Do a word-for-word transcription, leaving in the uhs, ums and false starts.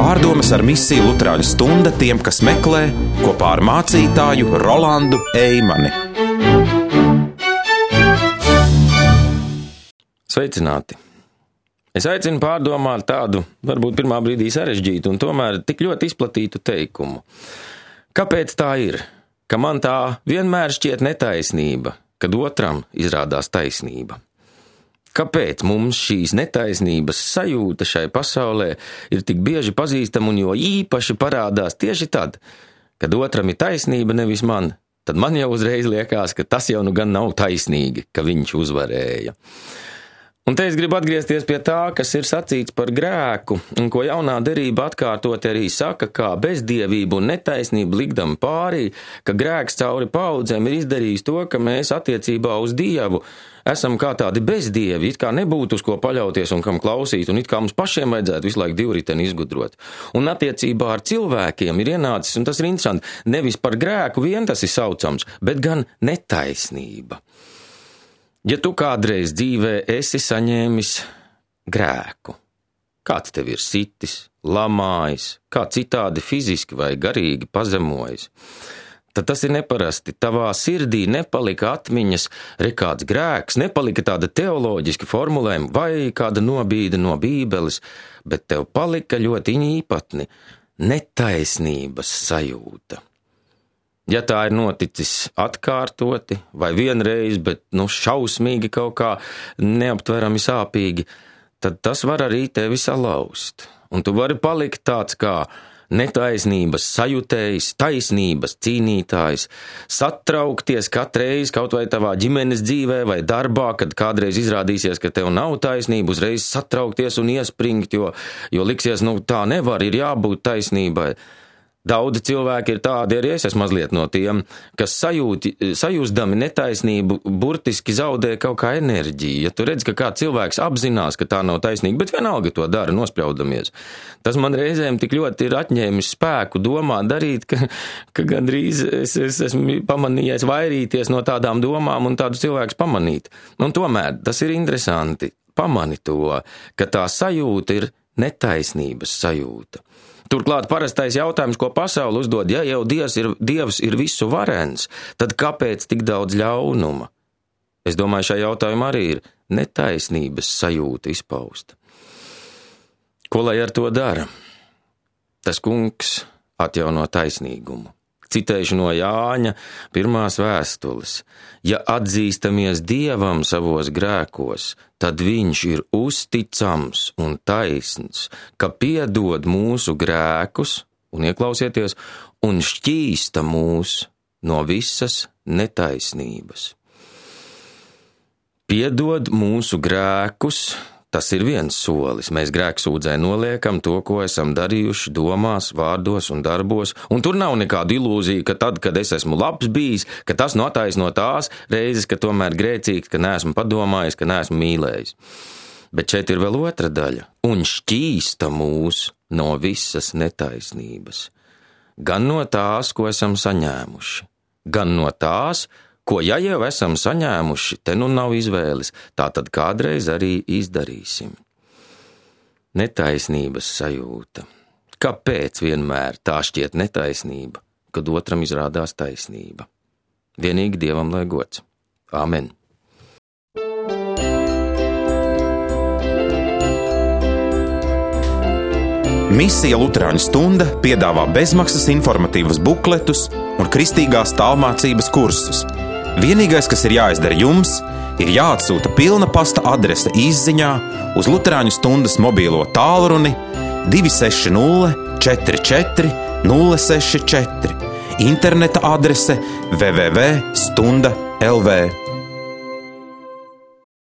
Pārdomas ar misiju Luterāņu stunda tiem, kas meklē, kopā ar mācītāju Rolandu Eimani. Sveicināti! Es aicinu pārdomāt tādu, varbūt pirmā brīdī sarežģītu un tomēr tik ļoti izplatītu teikumu. Kāpēc tā ir, ka man tā vienmēr šķiet netaisnība, kad otram izrādās taisnība? Kāpēc mums šīs netaisnības sajūta šai pasaulē ir tik bieži pazīstama un jo īpaši parādās tieši tad, kad otram ir taisnība, nevis man? Tad man jau uzreiz liekas, ka tas jau nu gan nav taisnīgi, ka viņš uzvarēja. Un te es gribu atgriezties pie tā, kas ir sacīts par grēku, un ko jaunā derība atkārtot arī saka, kā bezdievību un netaisnību likdam pārī, ka grēks cauri paudzēm ir izdarījis to, ka mēs attiecībā uz Dievu esam kā tādi bezdievi, it kā nebūtu uz ko paļauties un kam klausīt, un it kā mums pašiem vajadzētu visu laiku divriteni izgudrot. Un attiecībā ar cilvēkiem ir ienācis, un tas ir interesanti, nevis par grēku vien tas ir saucams, bet gan netaisnība. Ja tu kādreiz dzīvē esi saņēmis grēku, kāds tev ir sitis, lamājis, kā citādi fiziski vai garīgi pazemojis, tad tas ir neparasti. Tavā sirdī nepalika atmiņas, re kāds grēks, nepalika tāda teoloģiska formulējuma vai kāda nobīde no Bībeles, bet tev palika ļoti īpatni netaisnības sajūta. Ja tā ir noticis atkārtoti vai vienreiz, bet nu šausmīgi kaut kā neaptverami sāpīgi, tad tas var arī tevi salauzt. Un tu vari palikt tāds kā netaisnības sajutējs, taisnības cīnītājs, satraukties katreiz kaut vai tavā ģimenes dzīvē vai darbā, kad kādreiz izrādīsies, ka tev nav taisnība, uzreiz satraukties un iespringt, jo, jo liksies, nu tā nevar, ir jābūt taisnībai. Daudzi cilvēki ir tādi, arī es esmu mazliet no tiem, kas sajūti, sajūsdami netaisnību, burtiski zaudē kaut kā enerģiju. Ja tu redz, ka kā cilvēks apzinās, ka tā nav taisnīga, bet vienalga to dara, nospraudamies. Tas man reizēm tik ļoti ir atņēmis spēku domāt, darīt, ka, ka gandrīz es, es esmu pamanījies vairīties no tādām domām un tādus cilvēkus pamanīt. Un tomēr tas ir interesanti, pamani to, ka tā sajūta ir netaisnības sajūta. Turklāt parastais jautājums, ko pasauli uzdod, ja jau Dievs ir, Dievs ir visu varens, tad kāpēc tik daudz ļaunuma? Es domāju, šajā jautājumā arī ir netaisnības sajūta izpausta. Ko lai ar to dara? Tas kungs atjauno taisnīgumu. Citēšu no Jāņa pirmās vēstules. Ja atzīstamies Dievam savos grēkos, tad viņš ir uzticams un taisns, ka piedod mūsu grēkus, un ieklausieties, un šķīsta mūs no visas netaisnības. Piedod mūsu grēkus, tas ir viens solis. Mēs grēksūdzē noliekam to, ko esam darījuši domās, vārdos un darbos, un tur nav nekādu ilūziju, ka tad, kad es esmu labs bijis, ka tas nu attaisno tās reizes, ka tomēr grēcīgs, ka neesmu padomājis, ka neesmu mīlējis. Bet šeit ir vēl otra daļa, un šķīsta mūs no visas netaisnības. Gan no tās, ko esam saņēmuši, gan no tās, ko ja jau esam saņēmuši, te nu nav izvēles, tā tad kādreiz arī izdarīsim. Netaisnības sajūta. Kāpēc vienmēr tā šķiet netaisnība, kad otram izrādās taisnība? Vienīgi Dievam lai gods. Āmen. Misija Luterāņu stunda piedāvā bezmaksas informatīvas bukletus un kristīgās tālmācības kursus. Vienīgais, kas ir jāizdara jums, ir jāatsūta pilna pasta adrese izziņā uz Luterāņu stundas mobīlo tālruni divi seši nulle četri četri nulle seši četri, interneta adrese w w w punkt stunda punkt l v.